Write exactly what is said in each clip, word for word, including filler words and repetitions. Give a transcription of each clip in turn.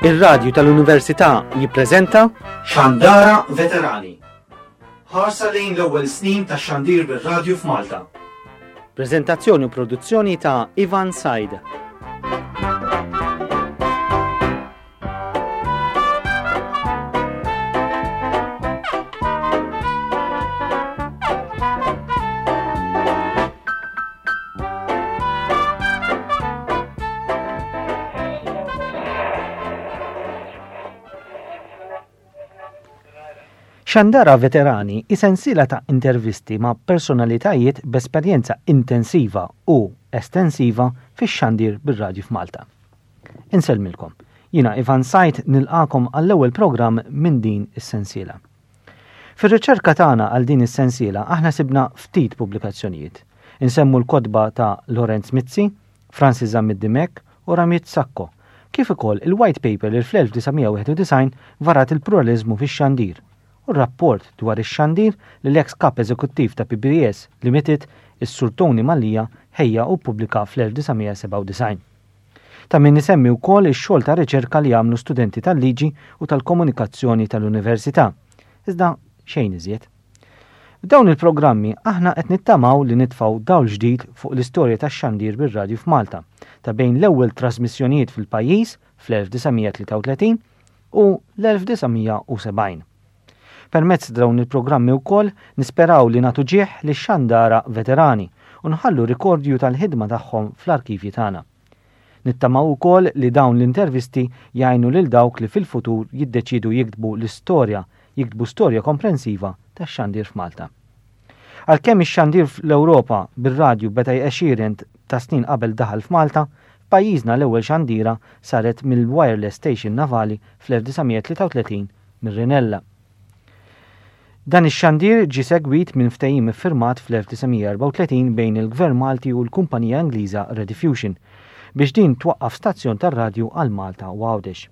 Ir-radju tal-Università jippreżenta Xandara Veterani. Ħarsa lejn l-ewwel snin ta' xandir bir-radju f'Malta. Preżentazzjoni u produzzjoni ta' Ivan Said. Xandara Veterani hi sensiela ta' intervisti ma' personalitajiet b'esperjenza intensiva u estensiva fix-xandir bir-radju f'Malta. Insellmilkom, jiena Ivan Sajt nilqakom għall-ewwel programm minn din is-sensiela. Fir-riċerka tagħna għal din is-sensiela aħna sibna ftit pubblikazzjonijiet. Insemmu l-kotba ta' Lorenz Mizzi, Francis Zammit Dimech u Ramit Sacco, kif ukoll il-white paper li fl-elf disa' mija wieħed u disgħin varat il-pluralizmu fix-xandir u rapport dwar ix-xandir li l-ex kap eżekuttiv ta' P B S Limited, is-Sur Tony Mallia, ħejja u ppubblika fl-elf disa' mija sebgħa u disgħin. Ta' min isemmi wkoll ix-xogħol ta' riċerka li għamlu studenti tal-liġi u tal-komunikazzjoni tal-università. Iżda xejn iżjed. F'dawn il-programmi aħna qed nittamaw li nitfgħu dawl ġdid fuq l-istorja tax-xandir bir-radju f'Malta ta' bejn l-ewwel trasmissjonijiet fil-pajjiż fl-elf disa' mija tlieta u tletin u l-elf disa' mija u sebgħin. Permezz dawn il-programmi wkoll nisperaw li nagħtu ġieħ lix-xandara veterani u nħallu rikordju tal-ħidma tagħhom fl-arkivji tagħna. Nittamaw ukoll li dawn l-intervisti jgħinu lil dawk li fil-futur jiddeċidu jiktbu l-istorja, jiktbu storja komprensiva tax-xandir f'Malta. Għalkemm ix-xandir fl-Ewropa bir-radju beda għexieren ta' snin qabel daħal f'Malta, f'pajjiżna l-ewwel xandira saret mill-Wireless Station Navali fl-elf disa' mija tlieta u tletin mir-Rinella. Dan ix-xandir ġie segwit minn ftehim iffirmat fl-elf disa' mija erbgħa u tletin bejn il-Gvern Malti u l-kumpanija Ingliża Rediffusion biex din twaqqaf stazzjon tar-radju għal Malta u Għawdex.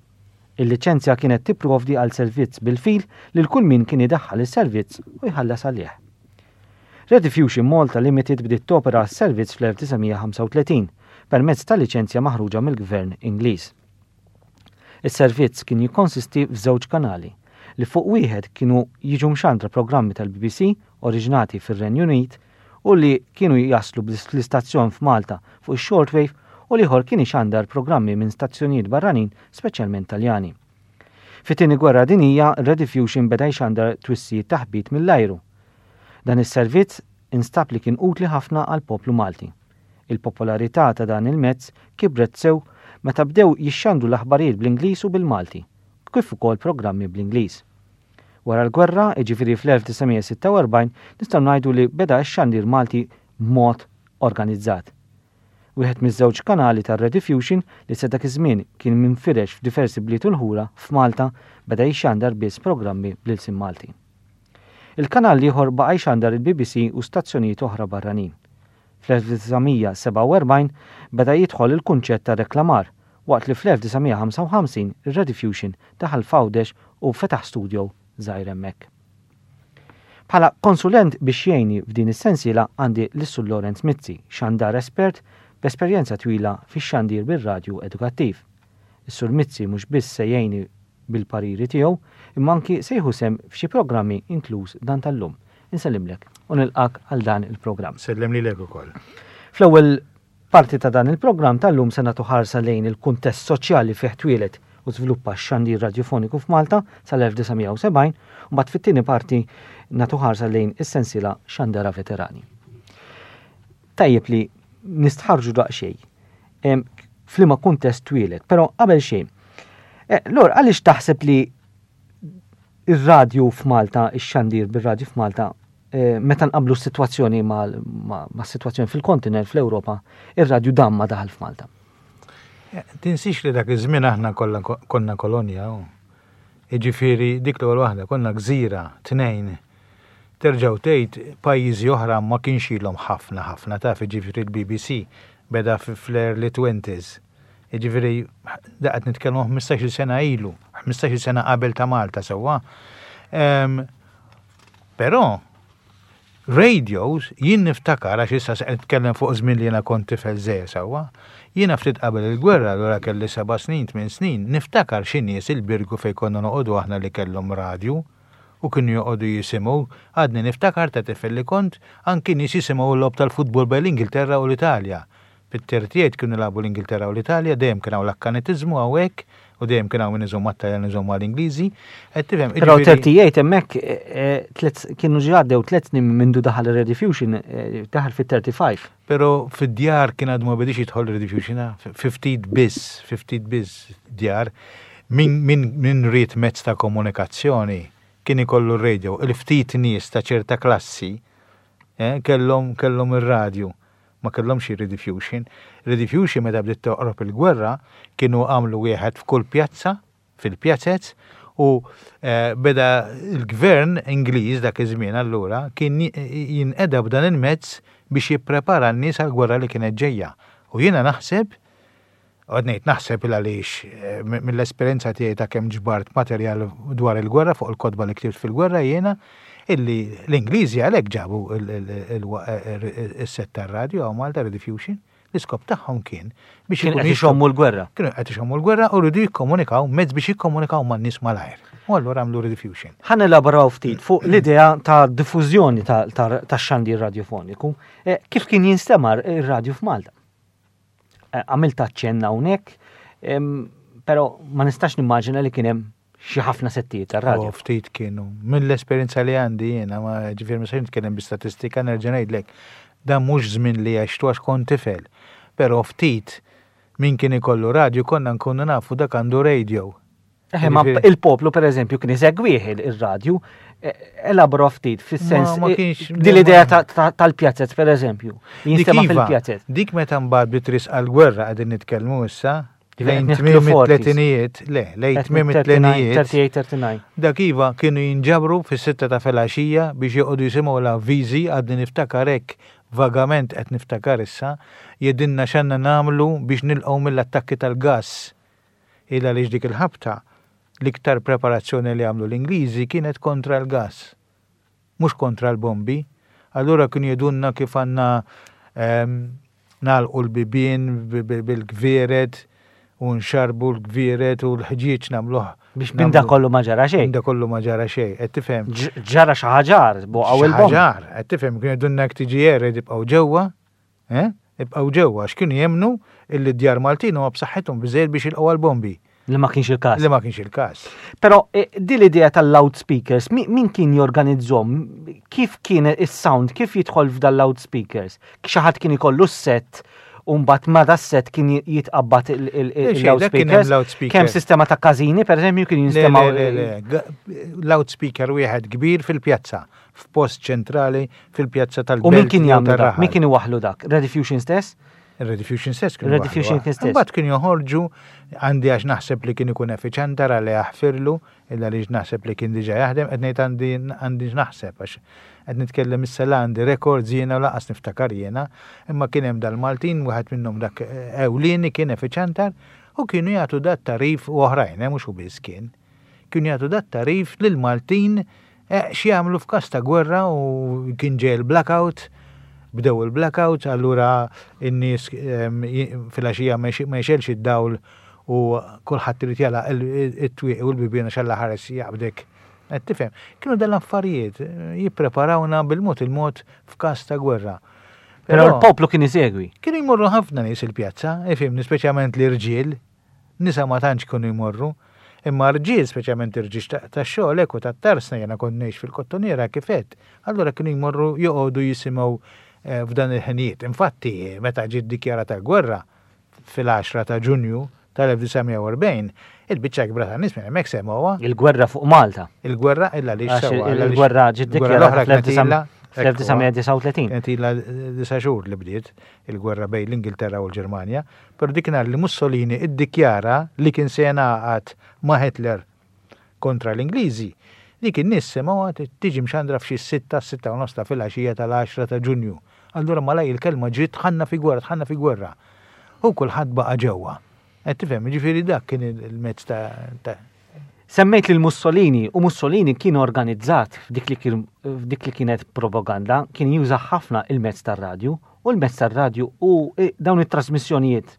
Il-liċenzja kienet tipprovdi għal servizz bil-fil lil kull min kien idaħħal is-servizz u jħallas għalih. Rediffusion Malta Limited bdiet topera s-servizz fl-elf disa' mija ħamsa u tletin permezz ta' liċenzja maħruġa mill-Gvern Ingliż. Is-servizz kien jikkonsisti f'żewġ kanali li fuq wieħed kienu jiġu mxandra programmi tal-B B C oriġinati fir-Renju Unit u li kienu jaslu fl-istazzjon f'Malta fuq ix-shortwave u l-ieħor kien ixandar programmi minn stazzjonijiet barranin, speċjalment Taljani. Fit-tieni gwerra dinjija, Rediffusion beda jxandar twissijiet taħbit mill-ajru. Dan is-servizz instab li kien utli ħafna għal poplu Malti. Il-popolarità ta' dan il-mezz kibret sew meta bdew jixxandru l-aħbarijiet bl-Ingliż u bil-Malti, kif ukoll programmi bl-Ingliż. Wara l-gwerra, jiġifieri fl-elf disa' mija sitta u erbgħin, nistgħu ngħidu li beda x-xandir Malti b'mod organizzat. Wieħed miż-żewġ kanali tar-Rediffusion li sa dak iż-żmien kien minfirex f'diversi bliet u l-ħura f'Malta beda jxandar biss programmi bl-ilsien Malti. Il-kanal ieħor baqa' jxandar il-B B C u stazzjonijiet oħra barranin. Fl-elf disa' mija sebgħa u erbgħin beda jidħol il-kunċett ta' reklamar, waqt li fl-elf disa' mija ħamsa u ħamsin ir-Rediffusion daħal f'Għawdex u fetaħ studio żgħir hemmhekk. Bħala konsulent biex jgħinni f'din is-sensiela għandi lis-Sur Lorenz Mizzi, xandar espert b'esperjenza twila fix-xandir bir-radju edukattiv. Is-Sur Mizzi mhux biss se jgħinni bil-pariri tiegħu, imma anki se jieħu sehem f'xi programmi inkluż dan tal-lum. Insellimlek u nilqak għal dan il-programm. Sellem lilek ukoll. Fl-ewwel parti ta' dan il-programm tal-lum se nagħtu ħarsa lejn il-kuntest soċjali fih twieled u żviluppa x-xandir radjofoniku f'Malta sal-elf disa' mija u sebgħin, u mbagħad fit-tieni parti nagħtu ħarsa lejn is-sensiela Xandara Veterani. Tajjeb li nistħarġu daqsxejn, em, f'liema kuntest twieled, però qabel xejn. Eh, Lor, għaliex taħseb li ir-radju f'Malta, ix-xandir bir-radju f'Malta, eh, meta nqablu s-sitwazzjoni ma', ma', ma' s-sitwazzjoni fil-kontinent fl-Ewropa, ir-radju dam ma daħal f'Malta? Eh, tinsix li dak iż-żmien aħna kollha ko-, konna kolonja, u. Jiġifieri dik l-ewwel waħda konna gżira tnejn. Terġgħu tgħid pajjiżi oħra ma kienx ilhom ħafna ħafna taf, jiġifieri l-B B C beda f-, fl-early twenties. Jiġifieri da qed nitkellmu ħmistax-il sena ilu, ħmistax-il sena qabel ta' Malta sewwa. Em, però Radios, jien niftakar, għax issa se nitkellem fuq żmien li jiena kont tifel żgħir sewwa, jiena ftit qabel il-gwerra, allura kelli seba' snin, tmien snin, niftakar xi nies il-Birgu fejn konna noqogħdu aħna li kellhom radju u kienu joqogħdu jisimgħu, għadni niftakar ta' tifel li kont, anki nies jisimgħu l-logħob tal-futbol bejn l-Ingilterra u l-Italja. Fit-thirty-eight kienu jilagħbu l-Ingilterra u l-Italja, dejjem kien hawn l-akkanitiżmu hawnhekk u dejjem kien hawn min iżomm mat-Taljan iżomm mal-Ingliżi. Qed tifhem, Però jiġifieri thirty-eight hemmhekk, eh, eh, tliet kienu ġa għaddew tliet snin mindu daħal ir-Rediffusion, eh, daħal fit-thirty-five. Però fid-djar kien għadu ma bedix jidħol Rediffusion, ah, fifty biss, fifty biss djar. Min, min, min ried mezz ta' komunikazzjoni kien ikollu r-radio. Il-ftit nies ta' ċerta klassi, eh, kellhom, kellhom ir-radju. Ma kellhomx Rediffusion. Rediffusion meta bdiet toqrob il-gwerra kienu għamlu wieħed f'kull pjazza, fil-pjazzez, u, eh, beda il-gvern Ingliż dak iż-żmien allura kien jinqeda b'dan il-mezz biex jipprepara n-nies għall-gwerra li kienet ġejja. U jiena naħseb, għad ngħid naħseb il għaliex, eh, mi-, mill-esperjenza tiegħi ta' kemm ġbart materjal dwar il-gwerra fuq il-kotba li ktibt fil-gwerra jiena, illi l-Ingliżi għalhekk ġabu il-, il-, il-, il-, il-set tar-radju għaw Malta Rediffusion. L-iskop tagħhom kien biex Kien ikunu qed jistgħu ixommu l-gwerra. Kienu qed ixommu l-gwerra u rridu jikkomunikaw mezz biex jikkomunikaw man-nies malajr. U allura għamlu Rediffusion. Ħa nelaboraw ftit fuq l-idea ta' diffużjoni ta', ta', ta' xandir radiofoniku. Eh, kif kien jinstema' ir-radju f'Malta? Eh, għamilt aċċenn hawnhekk, em, però ma nistax nimmaġina li kien hemm xi ħafna settijiet tar-radju. Oh, ftit kienu. Mill-esperjenza li għandi jiena, ma ġifieri ma nistax nitkellem bi statistika, nerġa' ngħidlek, dan mhux żmien li għextu għax kont tifel. Però ftit min kien ikollu radju konna nkunu nafu dak għandu radio. Eħe, ma Ġifieri il-poplu per eżempju kien isegwih il-, ir-radju, e, elabora ftit fis-sens, Ma, ma e, kienx din l-idea ta-, ta-, tal-pjazzet per eżempju, li Dik jinstema' iva, fil-pjazzet. Dik meta mbagħad bitris għall-gwerra qegħdin nitkellmu issa, Ġifieri lejn qed nidħlu tmiem forties. it-tletinijiet, le, lejn Qed tmiem nidħlu it-tletinijiet. thirty-eight, thirty-nine. Dak iva kienu jinġabru fis-sitta ta' filgħaxija biex joqogħdu jisimgħu l-avviżi, għadni niftakar hekk vagament qed niftakar issa, jedinna x'għandna nagħmlu biex nilqgħu mill-attakki tal-gass. Illa għaliex dik il-ħabta l-iktar preparazzjoni li għamlu l-Ingliżi kienet kontra l-gas, mhux kontra l-bombi. Allura kienu jedunna kif għandna, ehm, nagħlqu l-bibien bi-, bi-, bil-gvieret u nxarbu l-gvieret u l-ħġieġ nagħmluh. Biex minn da kollu ma ġara xejn. Minn da kollu ma ġara xejn, qed tifhem. Ġ-, ġara xi ħaġar, boqgħu Xi il-bomb. ħaġar, qed tifhem, kienu jedunna jekk tiġi erred ibqgħu ġewwa, eh? Ibqgħu ġewwa, għax kienu jemnu illi d-djar Maltin huma b'saħħithom biżejjed biex jilqgħu għall-bombi. Li ma kienx il-każ. Li ma kienx il-każ. Però, eh, din l-idea tal-loudspeakers, mi-, min kien jorganizzhom? Kif kien is-sound, kif jidħol f'dal loudspeakers? Xi ħadd kien ikollu s-set u mbagħad ma da set kien j-, jitqabbad il-, il-, Le, xejn, dak kien hemm il-loudspeakers? loudspeaker. Kemm sistema ta' każini, per eżempju, kien Le, jinstema' le, le, le. Ga-, loudspeaker wieħed kbir fil-pjazza, f'post ċentrali fil-pjazza tal-belt. U min kien jew jagħmlu dak? tar-raħal. Min kien iwaħħlu dak? Rediffusion stess? Rediffusion stess kienu Rediffusion waħlu. kien stess. Imbagħad kienu joħorġu, għandi għax naħseb li kien ikun effiċjenti ra li jaħfirlu, illa li naħseb li kien diġà jaħdem, qed ngħid għandi, għandi naħseb għax qed nitkellem issa la għandi records jiena u laqas niftakar jiena, imma kien hemm dal-Maltin, wieħed minnhom dak, eh, ewlieni kien effiċjantar u kienu jagħtu dat tarif u oħrajn, eh, mhux hu biss kien. Kienu jagħtu dat tarif lill-Maltin, eh, x'jagħmlu f'każ ta' gwerra u kien ġej il-blackout, bdew il-blackout, allura in-nies, ehm, j-, fil-għaxija ma jx-, ma jxelx id-dawl u kulħadd irid jagħlaq il-, il-, it-twieq u l-bibien għax Alla ħares jaqbdek. Qed tifhem, kienu dal-affarijiet, eh, jippreparawna bil-mod il-mod f'każ ta' gwerra. Però Però l-poplu kien isegwi. Kienu jmorru ħafna nies il-pjazza, ifhimni, speċjalment l-irġiel, nisa ma tantx kienu jmorru, imma rġiel, speċjalment irġiel ta', ta' xogħol hekk u tat-tarsna, jiena kont ngħix fil-Kottonera kif għedt, allura kienu jmorru joqogħdu jisimgħu, eh, f'dan il-ħinijiet. Infatti, meta ġiet dikjarata l-gwerra fil-għaxra ta' Ġunju tal-elf disa' mija u erbgħin, il-biċċa kbira ta' nies minn hemmhekk semgħuha. Il-gwerra fuq Malta. Il-gwerra illa li Għax sewwa, illa li il-gwerra ġiet il-gwerra dikjarata l-oħra kienet fl-elf disa' ilha, fl-elf disa' mija disa' u tletin. Kienet ilha disa' xhur li bdiet il-gwerra bejn l-Ingilterra u l-Ġermanja, però dik nhar li Mussolini iddikjara li kien se jingħaqad ma' Hitler kontra l-Ingliżi, dik in-nies semgħuha t-, tiġi mxandra f'xi sitta, sitta u nofs ta' filgħaxija tal-għaxra ta' Ġunju. Allura malaj il-kelma ġiet tħanna fi gwerra, tħanna fi gwerra. U kulħadd baqa' ġewwa. Qed tifhem, jiġifieri dak kien il-mezz ta', ta' Semmejt lil Mussolini u Mussolini kien organizzat f'dik li kien f'dik li kienet propaganda, kien juża ħafna il-mezz tar-radju u l-mezz tar-radju u eh, dawn it-trasmissjonijiet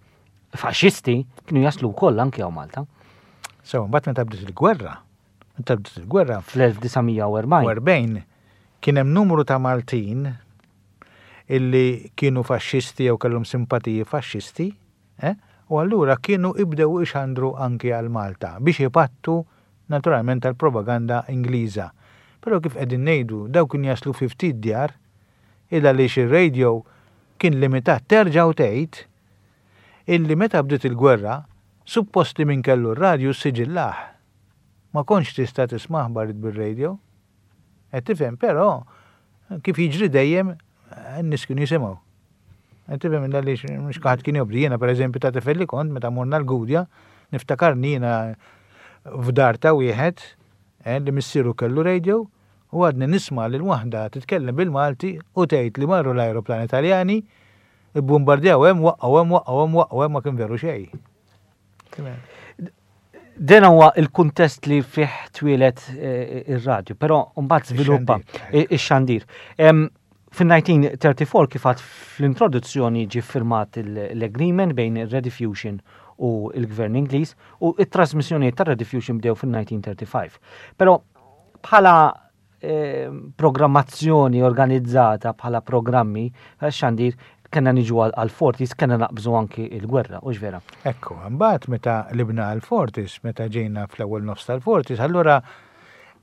faxxisti kienu jaslu wkoll anke hawn Malta. So, mbagħad meta bdiet il-gwerra, meta bdiet il-gwerra fl-elf disa' mija u erbgħin. erbgħin kien hemm numru ta' Maltin illi kienu faxxisti jew kellhom simpatiji faxxisti, eh? U allura kienu ibdew ixandru anki għal Malta biex ipattu naturalment tal-propaganda Ingliża. Però kif qegħdin ngħidu, daw kien jaslu fi ftit djar, illa li ir-radio kien limitat. Terġa' tgħid illi meta bdiet il-gwerra, suppost li min kellu r-radju siġillah. Ma kontx tista' tisma' aħbarijiet bil-radio. Qed tifhem, però kif jiġri dejjem, n-nies kienu jisimgħu. Qed tifhem, għaliex mhux ħadd kien jobdi. Jiena, pereżempju, ta' tifel li kont meta morna l-Gudja, niftakarni jiena f'dar ta' wieħed eh, li missieru kellu radio u għadni nisma' lil waħda titkellem bil-Malti u tgħid li marru l-ajruplan Italjani, ibbombardjaw hemm, waqqgħu hemm, waqqgħu hemm, waqqgħu hemm. Ma kien veru xejn. Dan huwa il-kuntest li fih twieled eh, ir-radju, però mbagħad żviluppa ix-xandir. Fin-elf disa' mija u tlieta u erbgħin, kif għedt fl-introduzzjoni, ġi firmat l-agreement bejn il-Rediffusion u il-Gvern Ingliż u it-trasmissjoni tar Rediffusion bdew fil-elf disa' mija u ħamsa u tletin. Però bħala eh, programmazzjoni organizzata, bħala programmi xandir, kena niġu għal-forties, kena naqbżu anki il-gwerra, u vera? Ekku, mbagħad meta libna għal-forties, meta ġejna fl-ewwel nofs tal-forties, allura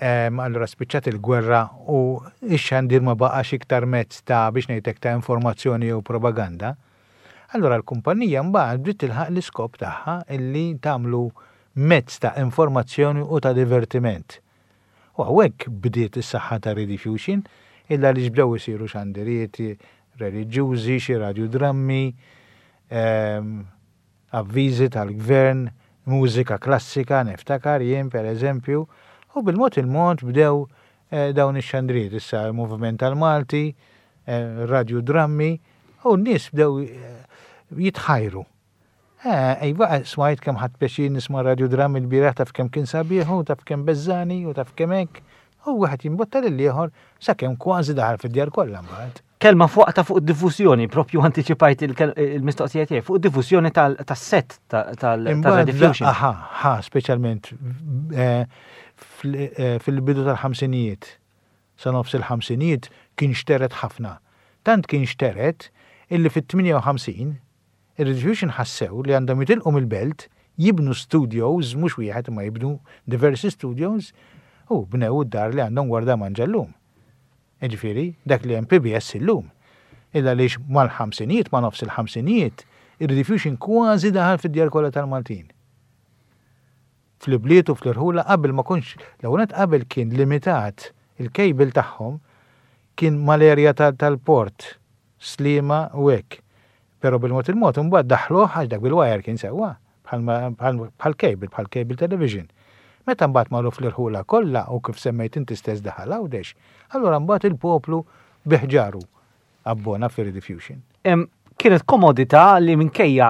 allura spiċċat il-gwerra u ix-xandir ma baqax iktar mezz ta', biex ngħidlek, ta' informazzjoni u propaganda. Allura l-kumpanija mbagħad bdiet tilħaq l-iskop tagħha illi tagħmlu mezz ta' informazzjoni u ta' divertiment. U hawnhekk bdiet is-saħħa ta' Rediffusion, illa li bdew isiru xandiriet reliġjużi, xi radiodrammi, avviżi tal-gvern, mużika klassika, niftakar jien, per eżempju, u bil-mod il-mod bdew eh, dawn ix-xandriet, issa il-moviment tal-Malti, eh, radiodrammi, u n-nies bdew eh, jitħajru. Ejva, smajt kemm ħadt pjaċir nisma' radiodrammi l-bieraħ, taf kemm kien sabiħ, u taf kemm beżżagħni, u taf kemm hekk, u wieħed jimbotta lil ieħor sakemm kważi daħal fid-djar kollha mbagħad. Kelma fuq ta' fuq diffużjoni, propju anticipajt il-mistoqsija tiegħi, fuq diffużjoni tas-set tal-Rediffusion. Aha, ha, speċjalment eh, eh, fil-bidu tal-ħamsinijiet, sa nofs il-ħamsinijiet kien xteret ħafna. Tant kien xteret illi fit-tmienja u ħamsin il-Rediffusion ħassew li għandhom jitilqu mill-belt, jibnu studios, mhux wieħed ma jibnu diversi studios, u bnew id-dar li għandhom Gwardamanġa llum. Ġifieri, dak li hemm P B S illum. Illa lix mal-ħamsinijiet, ma nofs il-ħamsinijiet, il-Rediffusion kważi daħal fid-djar kollha tal-Maltin. Fl-ibliet u fl-irħula. Qabel ma kunx, l qabel kien limitat, il-cable tagħhom kien mal-erja tal-port, Sliema u hekk. Però bil-mod il-mod mbagħad daħluh, għax dak bil-wire kien sewwa, bħal cable, bħal cable television. Meta mbagħad marru fl-irħula kollha u kif semmejt inti stess daħal Għawdex, allura mbagħad il-poplu biħġaru abbona fir-Rediffusion. Kienet komodità li minkejja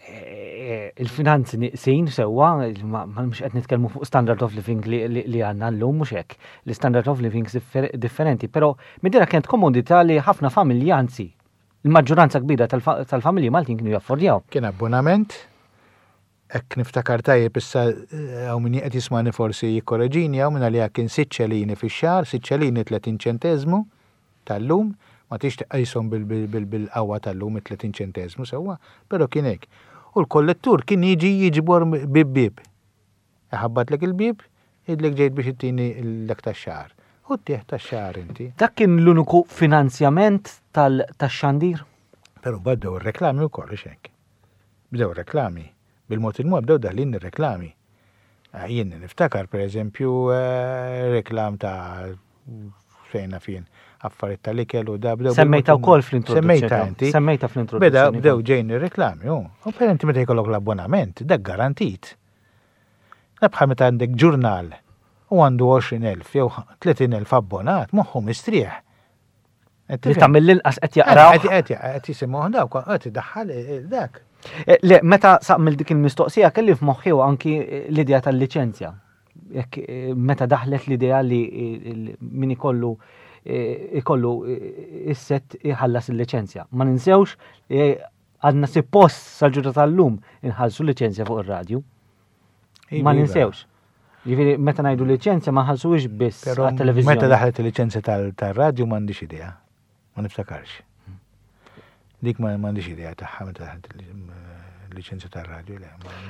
eh, il-finanzi niqsin sewwa, ma mhux qed nitkellmu fuq standard of living li għandna llum, mhux hekk. L-standard of living differenti, però midira kienet komodità li ħafna familji, anzi, il-maġġoranza kbira tal-familji Maltin kienu jaffordjaw. Kien abbonament, hekk niftakar tajjeb issa, hawn min qed jismani forsi jikkoreġini, hawn minn għalija kien sitt ċelini fix-xahar, sitt ċelini tletin ċentezmu tal-lum, ma tix tqishom bil-qawwa tal-lum tletin ċentezmu sewwa, però kien hekk. U l-kollettur kien jiġi jiġbor bib bib. Iħabbatlek il-bib, jgħidlek ġejt biex ittini l-lek tax-xahar. U ttih tax-xahar inti. Dak kien l-uniku finanzjament tal-xandir? Però bdew ir-reklami wkoll, hekk. Bdew reklami. Bil-mod il-mod bdew daħlin ir-reklami. Ah, jien niftakar, per eżempju, eh, reklam ta' fejna fien affarijiet tal-ikel u da bdew. Semmejta wkoll fl-introduzzjoni. Semmejta inti. Semmejta fl-introduzzjoni. Beda bdew ġejn ir-reklami, u per inti meta jkollok l-abbonament, dak garantit. Bħal meta għandek ġurnal u għandu għoxrin elf jew tletin elf abbonat, moħħu mistrieħ. Li ta' mill-inqas qed jaqraw. Qed qed jisimgħu dawk, qed idaħħal dak. Eh, le, meta saqmil dik il-mistoqsija kelli f'moħħi anki l-idea tal-liċenzja. Jekk eh, meta daħlet l-idea li eh, min ikollu eh, ikollu is-set iħallas il-liċenzja. Ma ninsewx għadna suppost sal-ġurnata tal-lum inħallsu liċenzja fuq ir-radju. Ma ninsewx. Jiġifieri meta ngħidu liċenzja ma nħallsuhiex biss għat-televiżjoni. Meta daħlet il-liċenzja tal-radju m'għandix idea. Ma niftakarx. Dik ma m'għandix idea tagħha meta daħlet il-liċenzja tar-radju.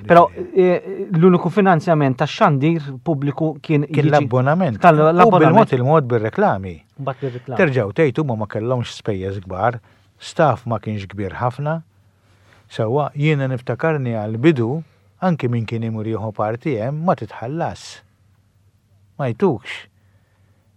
Però l-uniku finanzjament tax-xandir pubbliku kien Kien l-abbonament. U bil-mod il-mod bir-reklami. Terġgħu tgħid huma ma kellhomx spejjeż kbar, staff ma kienx kbir ħafna. Sewwa jiena niftakarni għal-bidu anki min kien imur jieħu parti hemm ma titħallas. Ma jtukx.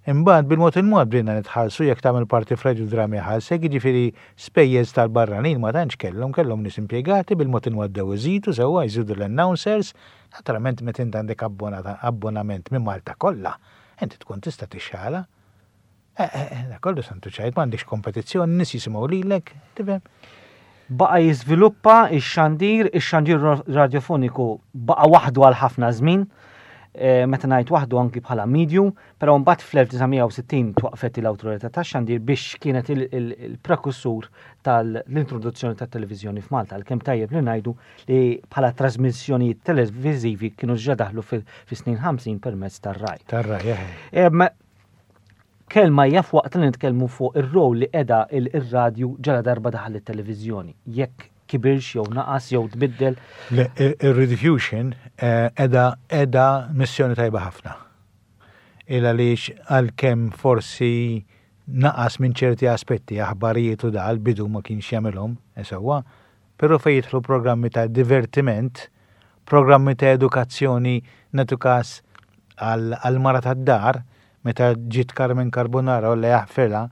Imbagħad bil-mod il-mod bdejna nitħallsu jekk tagħmel parti f'radju drama jħallsek, jiġifieri spejjeż tal-barranin ma tantx kellhom, kellhom nies impjegati bil-mod il-mod bdew iżidu sewwa jżidu l-announcers, naturalment meta int għandek abbonament minn Malta kollha, inti tkun tista' tixxala. Eh, eh, eh, kollu santu ċajt, m'għandekx kompetizzjoni, nies jisimgħu lilek, tifhem? Baqa jiżviluppa ix-xandir, ix-xandir radiofoniku baqa waħdu għal ħafna żmien, eh, meta ngħid waħdu anki bħala medium, però mbagħad fl-elf disa' mija u sittin twaqfet l-awtorità tax-xandir biex kienet il-prekursur tal-introduzzjoni tat-televiżjoni f'Malta, għalkemm tajjeb li ngħidu li bħala trasmissjonijiet televiżivi kienu ġa daħlu fis-snin ħamsin permezz tar-Rai. Tar-Rai, eh. Em, kelma hija f'waqt li nitkellmu fuq ir-rol li qiegħda il-radju ġala darba daħal it-televiżjoni. Jekk kibirx jew naqas jew tbiddel. Le, ir-rediffusion, eh, qiegħda, qiegħda missjoni tajba ħafna. Il għaliex għalkemm forsi naqas minn ċerti aspetti, aħbarijiet u dal bidu ma kienx jagħmilhom, eh, sewwa, però fejn jidħlu programmi ta' divertiment, programmi ta' edukazzjoni, nagħtu każ għal-mara tad-dar, meta ġiet Carmen Carbonara u li jaħfilha,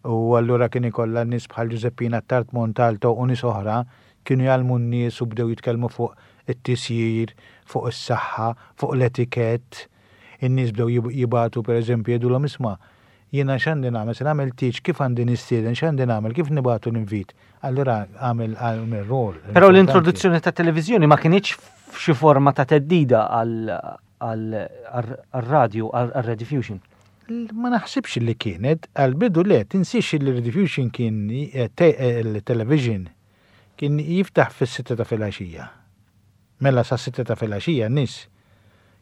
u allura kien ikollha nies bħal Giuseppina Tart Montalto u nies oħra kienu jgħallmu n-nies u bdew jitkellmu fuq it-tisjir, fuq is-saħħa, fuq l-etikett. In-nies bdew jib-, jibatu pereżempju jgħidulhom isma' jiena x'għandi nagħmel, se nagħmel tieġ, kif għandi nistieden, x'għandi nagħmel, kif nibatu l-invit. Allura għamel, għamel rol Però importanti. l-introduzzjoni ta' televiżjoni ma kinitx f'xi forma ta' teddida għal-radju, għal-rediffusion. Ma naħsibx li kienet, għal-bidu le, tinsiex li rediffusion kien, eh, te-, eh, il-television kien jiftaħ fis-sitta ta' filgħaxija. Mela sa' sitta ta' filgħaxija n-nies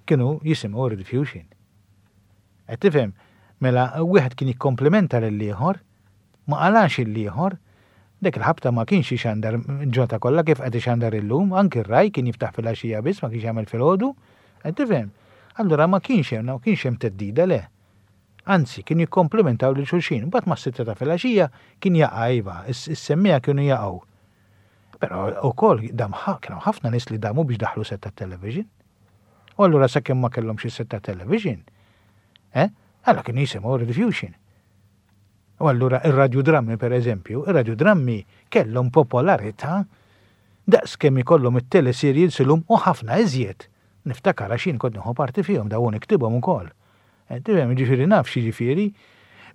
kienu jisimgħu rediffusion. Qed tifhem, mela wieħed kien jikkomplementa lill-ieħor, ma qalax il-ieħor, dik il-ħabta ma kienx ixandar ġota kollha kif qed ixandar illum, anki r-Rai kien jiftaħ filgħaxija biss, ma kienx jagħmel filgħodu, qed tifhem. Allura ma kienx hemm, ma kienx hemm teddida le. Anzi, kien jikkomplementaw lil xulxin, mbagħad ma' sitta ta' filgħaxija kien jaqa' iva, is-, is-semmija kienu jaqgħu. Però wkoll dam ħa-, kienu ħafna nies li damu biex daħlu set ta' television. U allura sakemm ma kellhomx is-set ta' television, eh? Allura kienu jisimgħu rediffusion. U allura ir-radiodrammi per eżempju, ir-radiodrammi kellhom popolarità daqs kemm ikollhom it-teleserials illum u ħafna iżjed. Niftakar għax jien kont nieħu parti fihom dawn niktibhom ukoll. Eh, tifhem, jiġifieri naf x'jiġifieri,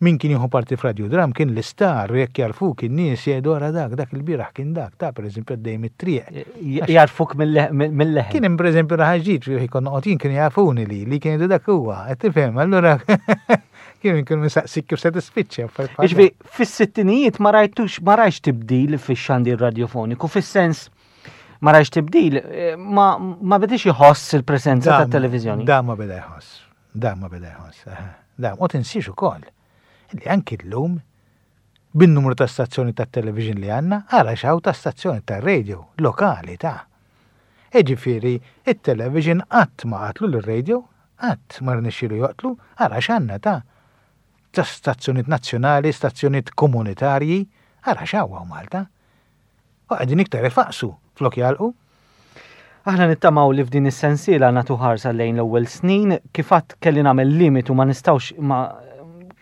min kien jieħu parti f'radiodram kien l-istar, u jekk jarfuk in-nies jgħidu ara dak, dak il-bieraħ kien dak, ta' pereżempju għaddej mit-triq. J-, jarfuk mill-, mill-leħen. Kien hemm pereżempju raħal ġdid, fejn konna noqgħod jien kienu jafuni li, li kien jgħidu dak huwa, qed tifhem, allura kien kienu mistaqsik kif se tispiċċa, affarijiet bħal Jiġifieri, dawn. fis-sittinijiet ma rajtux, ma rajtx tibdil fix-xandir radiofoniku, fis-sens ma rajtx tibdil, eh, ma, ma bedix iħoss il-preżenza Da- tat-televiżjoni. Da ma beda jħoss, da ma beda jħoss, aha. Da, u tinsiex ukoll li anki llum bin-numru ta' stazzjoni ta' television li għandna, ara x'hawn ta' stazzjoni ta' radio lokali ta'. Jiġifieri, it-television qatt ma qatlu l-radio, qatt ma rnexxielu joqtlu, ara x'għandna ta' ta' stazzjonijiet nazzjonali, stazzjonijiet komunitarji, ara x'hawn hawn Malta. U qegħdin iktar ifaqsu flok jalqu. Aħna nittamaw li f'din is-sensiela nagħtu ħarsa lejn l-ewwel snin, kif għadd kelli nagħmel limitu ma nistgħux ma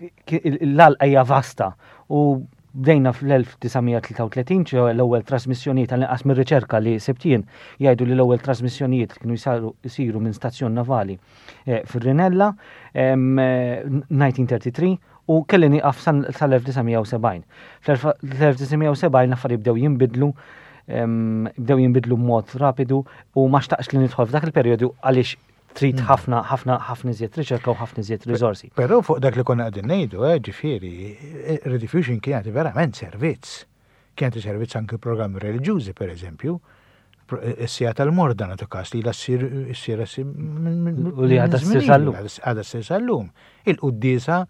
l-għalqa hija vasta u bdejna fl-elf disa' mija tlieta u tletin, ċe l-ewwel trasmissjonijiet għal-inqas mir-riċerka li sibtien jgħidu li l-ewwel trasmissjonijiet kienu jsaru, jsiru minn stazzjon navali, eh, fir-Rinella, em, eh, nineteen thirty-three, u kelli nieqaf san-, sal-elf disa' mija u sebgħin. Fl-elf disa' mija u sebgħin l-affarijiet bdew jinbidlu, em, bdew jinbidlu b'mod rapidu u ma xtaqx li nidħol f'dak il-perjodu għaliex Trid ħafna ħafna ħafna iżjed riċerka u ħafna iżjed riżorsi. Però fuq dak li konna qegħdin ngħidu, eh, ġifieri, Rediffusion kien jagħti verament servizz. Kien jagħti servizz anke programmi reliġjużi, per eżempju. Is-siegħa tal-morda nagħtu każ li la ssir issir U li għadha ssir sal-lum. Għadha ssir sal-lum. Il-quddiesa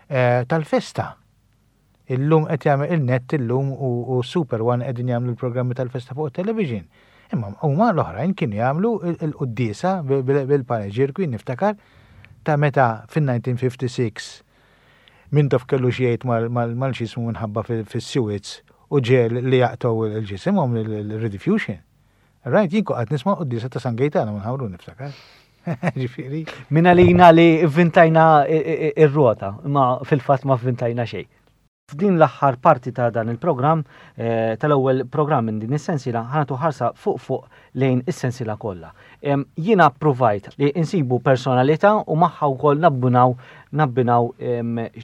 eh, tal-festa. Illum qed jagħmel il-Net illum u Super One qegħdin jagħmlu l-programmi tal-festa fuq it-television. Imma huma l-oħrajn kienu jagħmlu il-quddiesa bil-paneġirku niftakar ta' meta fin-elf disa' mija u ħamsa u sittin Mintoff kellu xi jgħid mal-xismu minħabba fis-Suez u ġiegħel li jaqtgħu il-ġisimhom il-Rediffusion. Right, jien qgħadt nisma' quddiesa ta' San Gejtana minn Ħamrun niftakar. Ġifieri. Minna lina li vvintajna ir-rota, ma fil-fatt ma vvintajna xejn. F'din l-aħħar parti ta' dan il-programm, eh, tal-ewwel programm minn din is-sensiela, ħa nagħtu ħarsa fuq fuq lejn is-sensiela kollha. Jiena provajt li insibu personalità u magħha wkoll nabbunaw nabbinaw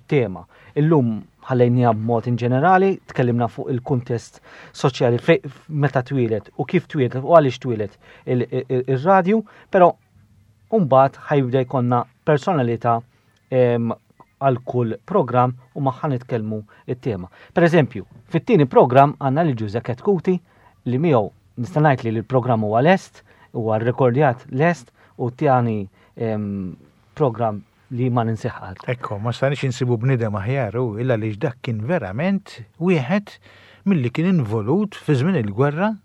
tema. Illum ħallejniha b'mod in ġenerali, tkellimna fuq il-kuntest soċjali meta twieled u kif twieled u għaliex twieled ir-radju, però mbagħad ħa jibda jkollna personalità għal kull program u magħha nitkellmu it-tema. Per eżempju, fit-tieni program għandna li Ġuże Chetcuti li miegħu nista' ngħid li l-programm huwa lest, huwa rrekordjat lest u tani program li ma ninsih qatt. Ekko, ma stajniex insibu bniedem aħjar u illa li dak kien verament wieħed milli kien involut fi żmien il-gwerra.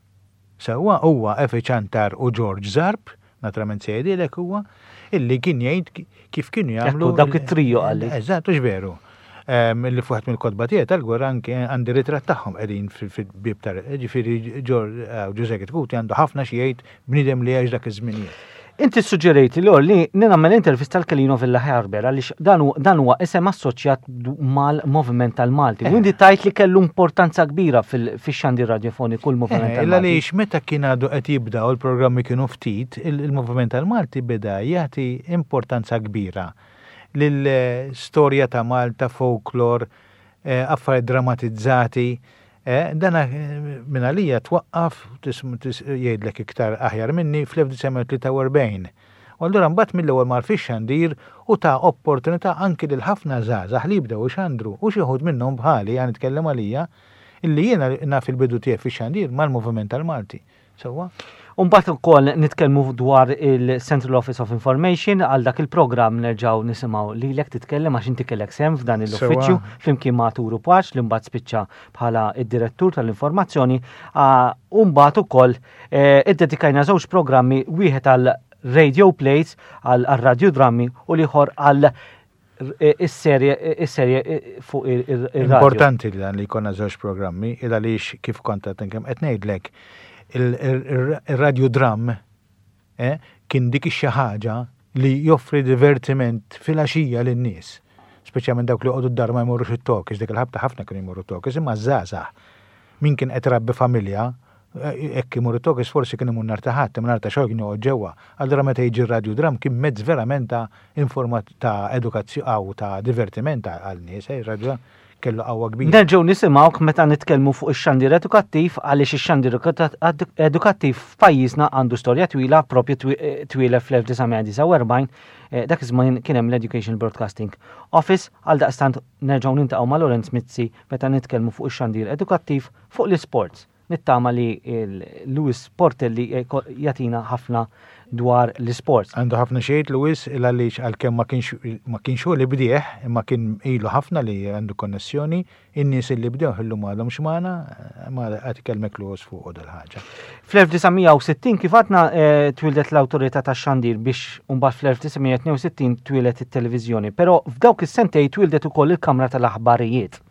Sewwa huwa Efi Ciantar u George Zarb, naturalment se jgħidilek huwa, illi kien jgħid kif kienu jagħmlu. Dawk it-trio qalli. Eżatt, hux veru. Illi fuq mill-kotba tiegħi tal-gwerra anke għandi ritratt tagħhom qegħdin fil-bib tar ġifieri Ġuże Chetcuti għandu ħafna xi jgħid, bniedem li għex dak iż-żminijiet. Inti suġġerejt li li nagħmel intervista tal-Kelino Vella Harber għaliex dan huwa isem assoċjat mal-moviment tal-Malti. U inti tajt li kellu importanza kbira fix-xandir radiofoniku l-moviment eh, tal-Malti. Għaliex meta kien għadu qed jibda u l-programmi kienu ftit, il-moviment tal-Malti beda jagħti importanza kbira lill-storja ta' Malta, folklor, eh, affarijiet dramatizzati. Eh, dana minn għalija twaqqaf, jgħidlek iktar aħjar minni, fl-elf disa' mija tlieta u erbgħin. U allura mbagħad mill-ewwel mar fix-xandir u ta' opportunità anki lil ħafna żgħażagħ li jibdew ixandru u xi wħud minnhom bħali, għan nitkellem għalija, illi jiena naf il-bidu tiegħi fix-xandir mal-moviment tal-Malti. Sewwa? Umbagħad ukoll nitkellmu dwar il-Central Office of Information. Għal dak il-programm nerġgħu nisimgħu lilek titkellem għax inti kellek sehem f'dan l-uffiċċju flimkien ma' Turu Paċ li mbagħad spiċċa bħala id-direttur tal-informazzjoni. U mbagħad ukoll eh, iddedikajna żewġ programmi, wieħed għal radio plays, għal radiodrammi, u l-ieħor għal is-serje is-serje fuq ir-radio. Importanti li dan li jkollna żewġ programmi, il għaliex kif kont qed qed ngħidlek il-radiodram eh, kien dik xi ħaġa li joffri divertiment fil-għaxija lin-nies. Speċjalment dawk li joqogħdu d-dar, ma jmorrux it-talkies, dik il-ħabta ħafna kienu jmorru talkies, imma żgħażagħ. Min kien qed rabbi familja, eh, hekk imur it-talkies forsi kien imur nhar ta' Ħadd, imma nhar ta' xogħol kien joqgħod ġewwa. Allura meta jiġi r-radiodram kien mezz verament ta' informat ta' edukazzjoni u ta' divertiment għal nies, eh, ir-radiodram kellu qawwa kbira. Nerġgħu nisimgħuk meta nitkellmu fuq ix-xandir edukattiv għaliex ix-xandir edukattiv f'pajjiżna għandu storja twila, propju twieled fl-elf disa' mija disgħa u erbgħin, eh, dak iż-żmien kien hemm l-Education Broadcasting Office. Għal daqstant nerġgħu niltaqgħu ma' Lorenz Mizzi meta nitkellmu fuq ix-xandir edukattiv. Fuq l-isports, nittama li Louis Portelli jagħtina ħafna dwar l-sports. Għandu ħafna xejt Louis, għaliex għalkemm ma kienx ma kienx hu li bdieh, imma kien ilu ħafna li għandu konnessjoni, in-nies li bdew illum għadhom x'magħna, ma qed ikellmek Louis fuq dal-ħaġa. Fl-elf disa' mija u sittin kif għadna eh, twildet l-awtorità tax-xandir biex mbagħad fl-elf disa' mija tnejn u sittin twieldet it-televiżjoni, però f'dawk is-sentej twildet ukoll il-Kamra tal-Aħbarijiet.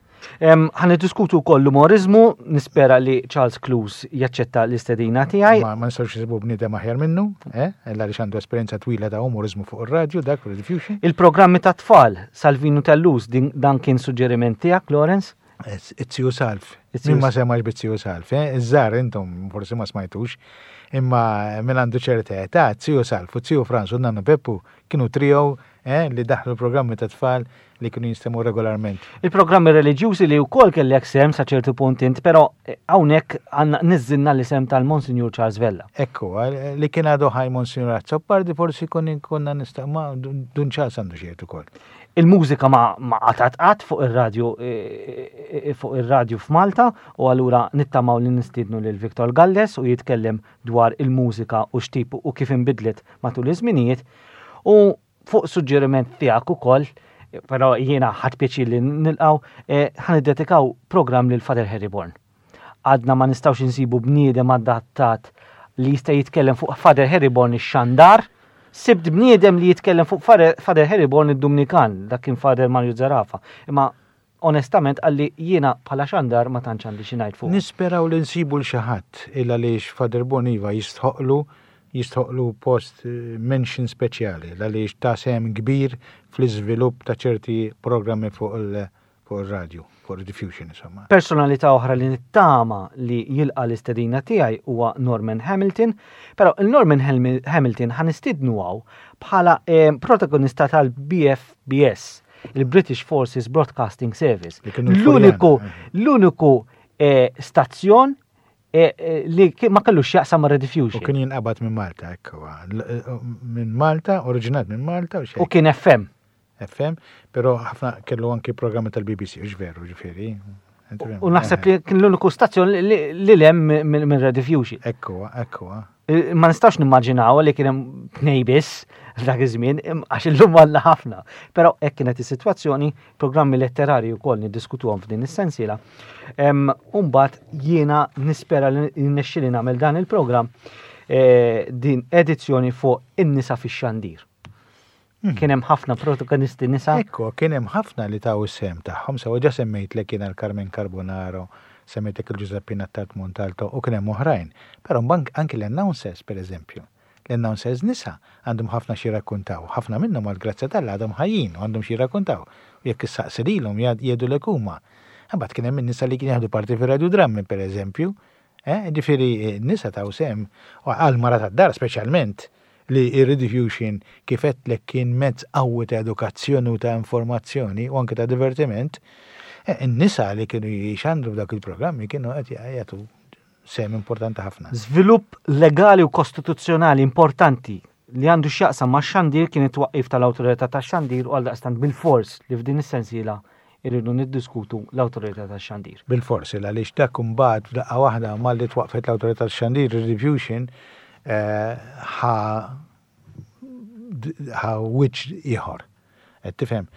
Ħa niddiskutu wkoll l-umorizmu, nispera li Charles Close jaċċetta l-istedina tiegħi. Ma ma nistgħux nsibu bniedem aħjar minnu, eh? Illa li għandu esperjenza twila ta' umorizmu fuq ir-radju dak Rediffusion. Il-programmi ta' tfal, Salvinu Tellus, dan kien suġġeriment tiegħek, Lawrence. Iz-ziju Salv. Min ma semax biz-ziju Salv, eh? Iż-żgħar intom forsi ma smajtux, imma min għandu ċerta età, ziju Salv u ziju Frans u nannu Peppu kienu trio eh, li daħlu programmi ta' tfal li kienu jinstemgħu regolarment. Il-programmi reliġjużi li wkoll kellek sehem sa ċertu punt int, però eh, hawnhekk għandna niżżilna l-isem tal-Monsignor Charles Vella. Ekku, li kien għadu ħaj Monsignor Azzopardi forsi kun konna nista' ma Dun Charles għandu xi jgħid ukoll. Il-mużika ma ma qatgħet qatt fuq ir-radju eh, eh, fuq ir-radju f'Malta u allura nittamaw li nistiednu lil Victor Galles u jitkellem dwar il-mużika u x'tip u kif inbidlet matul iż-żminijiet. U fuq suġġeriment tiegħek ukoll, però jiena ħadt pjaċir li nilqgħu, eh, ħa niddedikaw programm lil Father Harry Born. Għadna ma nistgħux insibu bniedem adattat li jista' jitkellem fuq Father Harry Born ix-xandar, sibt bniedem li jitkellem fuq Father Father Harry Born id-Dumnikan, dak kien Father Mario Zerafa. Imma onestament għalli jiena bħala xandar ma tantx għandi xi ngħid fuq. Nisperaw li nsibu 'l xi ħadd illa għaliex Father Born iva jistħoqlu jistħoqlu post eh, mention speċjali għaliex ta sehem kbir fl-iżvilupp ta' ċerti programmi fuq il- fuq il-radio, fuq il-diffusion insomma. Personalità oħra li nittama li jilqa l-istedina tiegħi huwa Norman Hamilton, però il-Norman Hamilton ħa nistiednu hawn bħala eh, protagonista tal-B F B S, il-British Forces Broadcasting Service. Li kienu L-uniku l-Furjana. L-uniku eh, stazzjon eh, eh, li ki- ma kellux jaqsam ma' U Rediffusion. kien jinqabad minn Malta, ekku. L- Minn Malta, oriġinat minn Malta u U xejn. kien F M. F M, però ħafna kellu anki programmi tal-B B C, u veru, ġifieri. U naħseb li kien l-uniku stazzjon li- li li lem minn minn Rediffusion. Ekku, ekku. Eh, Ma nistax nimmaġinaw li kien hemm tnej biss dak iż-żmien, im- għax illum għandna ħafna. Però hekk kienet is-sitwazzjoni, programmi letterari wkoll niddiskutuhom f'din is-sensiela. Em, U mbagħad jiena nispera li nixxili nagħmel dan il-programm eh, din edizzjoni fuq in-nisa fix-xandir. Kien hemm ħafna protagonisti nisa. Ekku, kien hemm ħafna li taw is-sehem tagħhom, sewa ġa semmejt li kien għal Carmen Carbonaro, semmejtek il-Giuseppina Tart Montalto u kien hemm oħrajn. Però mbagħad anki l-announcers, per eżempju. L-announcers nisa għandhom ħafna xi rakkuntaw, ħafna minnhom għal grazzja t'Alla għadhom ħajjin u għandhom xi rakkuntaw. U jekk issaqsi lilhom jgħidulek huma. Imbagħad kien hemm in-nisa li kien jaħdu parti fir-radiodrammi, per eżempju. Eh, ġifieri nisa taw sehem u għal mara tad-dar speċjalment li ir-rediffusion kif għedtlek kien mezz qawwi ta' edukazzjoni u ta' informazzjoni u anke ta' divertiment, eh, in-nisa li kienu jxandru f'dak il-programmi kienu qed jagħtu sehem importanti ħafna. Żvilupp legali u kostituzzjonali importanti li għandu x'jaqsam ma' xandir kien it-twaqqif tal-awtorità tax-xandir u għaldaqstant bil-fors li f'din is-sensiela irridu niddiskutu l-awtorità tax-xandir. Bil-fors, għaliex dak imbagħad f'daqqa waħda malli twaqfet l-awtorità tax-xandir, ir-rediffusion eh, ħa ħa wiċċ ieħor. Qed tifhem?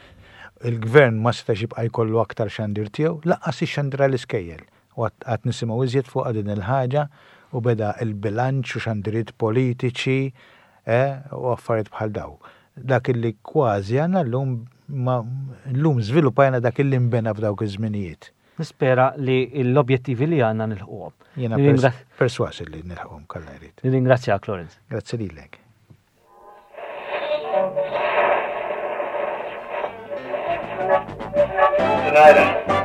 Il-gvern ma setax jibqa' jkollu aktar xandir tiegħu, lanqas ix-xandir għall-iskejjel. U għad nisimgħu iżjed fuq din il-ħaġa u beda il-bilanċ u xandiriet politiċi eh, u affarijiet bħal daw. Dak illi kważi għandna llum ma llum żviluppajna dak illi nbena f'dawk iż-żminijiet. Nispera li l-objettivi li għandna nilħquhom. Jiena Nirringra- pers perswas li nilħquhom kalla jrid. Nirringrazzjak, Lawrence. Grazzi lilek. Tonight.